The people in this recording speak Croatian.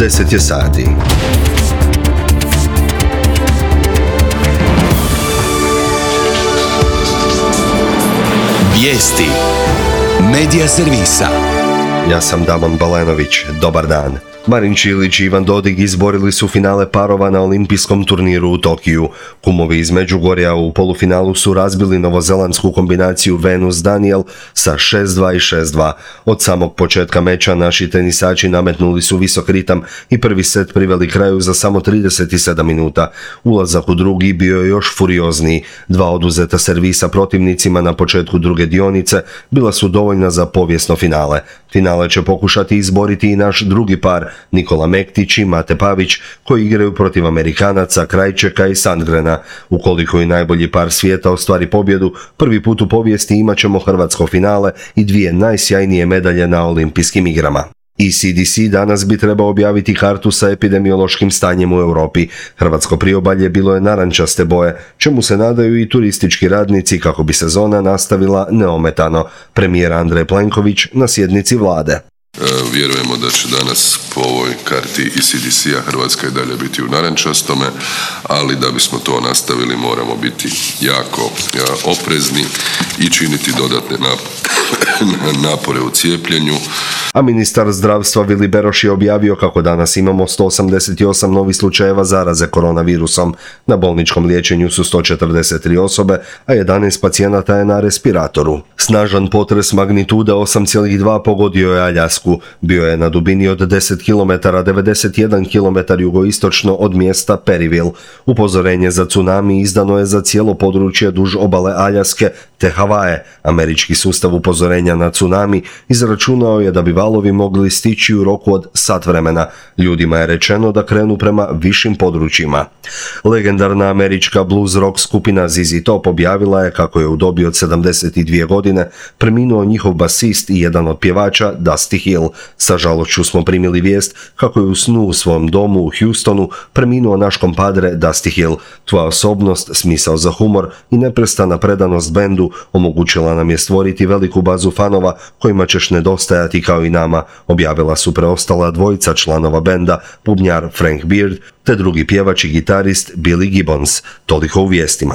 10 je sati. Vijesti Medija servisa. Ja sam Damon Balenović. Dobar dan. Marin Čilić i Ivan Dodig izborili su finale parova na olimpijskom turniru u Tokiju. Kumovi iz Međugorja u polufinalu su razbili novozelandsku kombinaciju Venus-Daniel sa 6-2 i 6-2. Od samog početka meča naši tenisači nametnuli su visok ritam i prvi set priveli kraju za samo 37 minuta. Ulazak u drugi bio je još furiozniji. Dva oduzeta servisa protivnicima na početku druge dionice bila su dovoljna za povijesno finale. Finale će pokušati izboriti i naš drugi par, Nikola Mektić i Mate Pavić, koji igraju protiv Amerikanaca Krajčeka i Sandgrena. Ukoliko i najbolji par svijeta ostvari pobjedu, prvi put u povijesti imat ćemo hrvatsko finale i dvije najsjajnije medalje na olimpijskim igrama. ECDC danas bi trebao objaviti kartu sa epidemiološkim stanjem u Europi. Hrvatsko priobalje bilo je narančaste boje, čemu se nadaju i turistički radnici kako bi sezona nastavila neometano. Premijer Andrej Plenković na sjednici vlade. Vjerujemo da će danas po ovoj karti ECDC-a Hrvatska i dalje biti u narančastome, ali da bismo to nastavili moramo biti jako oprezni i činiti dodatne napore u cijepljenju. A ministar zdravstva Vili Beroš je objavio kako danas imamo 188 novih slučajeva zaraze koronavirusom. Na bolničkom liječenju su 143 osobe, a 11 pacijenata je na respiratoru. Snažan potres magnitude 8,2 pogodio je Aljasku. Bio je na dubini od 10 km, 91 km jugoistočno od mjesta Periville. Upozorenje za tsunami izdano je za cijelo područje duž obale Aljaske te Havaje. Američki sustav upozorenja na tsunami izračunao je da bi valovi mogli stići u roku od sat vremena. Ljudima je rečeno da krenu prema višim područjima. Legendarna američka blues rock skupina ZZ Top objavila je kako je u dobi od 72 godine preminuo njihov basist i jedan od pjevača Dusty Hill. Sa žalošću smo primili vijest kako je u snu u svom domu u Houstonu preminuo naš kompadre Dusty Hill. Tvoja osobnost, smisao za humor i neprestana predanost bendu omogućila nam je stvoriti veliku bazu fanova kojima ćeš nedostajati kao i nama, objavila su preostala dvojica članova benda, bubnjar Frank Beard te drugi pjevač i gitarist Billy Gibbons. Toliko u vijestima.